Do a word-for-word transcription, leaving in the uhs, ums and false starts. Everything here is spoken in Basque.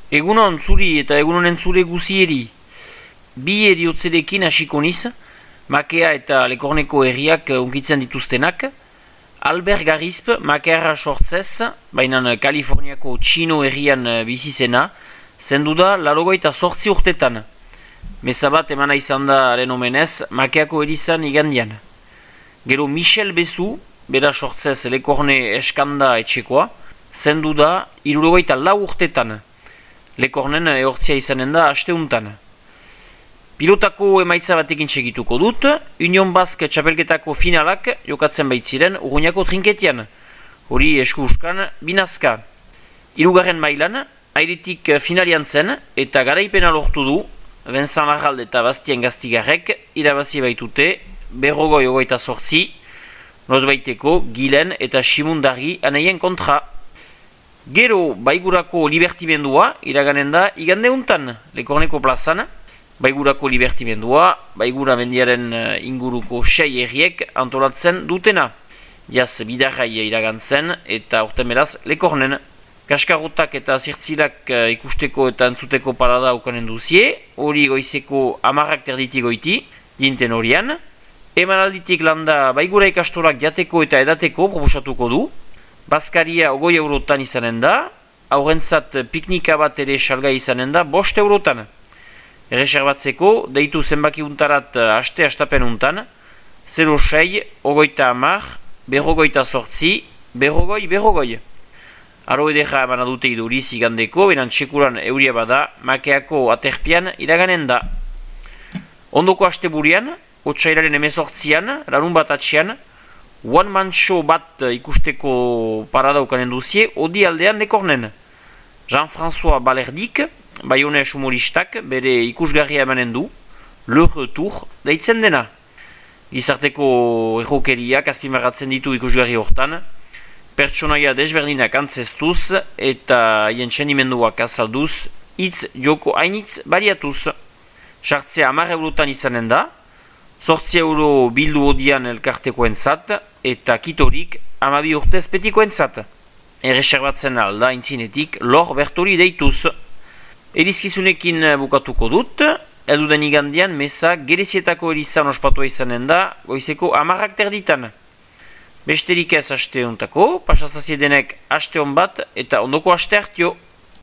Egunon zuri eta egunonen zure guzieri. Bi eriotzerekin hasiko niz, makea eta lekorneko herriak unkitzen dituztenak. Albert Garisp, makeara sortzez, baina Kaliforniako Txino herrian bizizena, zendu da larogoita sortzi urtetan. Meza bat emana izan da haren omenez, makeako erizan igandian. Gero Michel Bezu, bera sortzez lekorne eskanda etxekoa, zendu da hirurogeita lau urtetan. Lekornen ehortzia izanen da asteuntan. Pilotako emaitza batekin segituko dut, Union Basque txapelketako finalak jokatzen baitziren Urruñako trinketian. Hori esku uskan binazka. Hirugarren mailan, airetik finalian zen eta garaipena lortu du, Vincent Larralde eta Bastien Gastigarrek irabazi baitute berrogoi ogoita sortzi, nozbaiteko Gilen eta Simundari aneien kontra. Gero Baigurako libertimendua iraganen da igande untan, Lekorneko plazan. Baigurako libertimendua, Baigura mendiaren inguruko sei herriek antolatzen dutena. Jaz bidarraia iragantzen eta urten beraz Lekornen. Kaskarrotak eta zirtzilak ikusteko eta entzuteko parada ukanen duzie, hori goizeko amarrak terditik goiti, jinten horian. Emanalditik landa Baigura ikastorak jateko eta edateko proposatuko du. Baskaria ogoi eurotan izanen da, aurrentzat piknika bat ere salgai izanen da, bost eurotan. Erreserbatzeko, deitu zenbaki untarat aste astapen untan, zero sei, ogoita amar, berrogoita sortzi, berrogoi, berrogoi. Aro edera eman adute iduriz igandeko, beran txekuran euria bada, makeako aterpian iraganen da. Ondoko aste burian, otsailaren emezortzian, larun bat atxian, one man show bat ikusteko parada ukanen duzie, odi aldean Lekornen. Jean-François Balerdik, Bayonez humoristak, bere ikusgarria emanen du, Le Retour, deitzen dena. Gizarteko errokeriak azpimarratzen ditu ikusgarri hortan, pertsonaia desberdinak antzestuz eta hien txenimenduak azalduz, hitz joko hainitz bariatuz. Sartzea hamar eurotan izanen da, sortzi euro bildu odian elkartekoen zat, eta kitorik hamabi urtez petikoen zat. Erreserbatzen alda intzinetik lor bertori deituz. Erizkizunekin bukatuko dut, eduden igandian meza gerezietako erizan ospatua izanen da, goizeko amarrak terditan. Besterik ez aste hontako, pasazaziedenek aste hon bat eta ondoko aste hartio.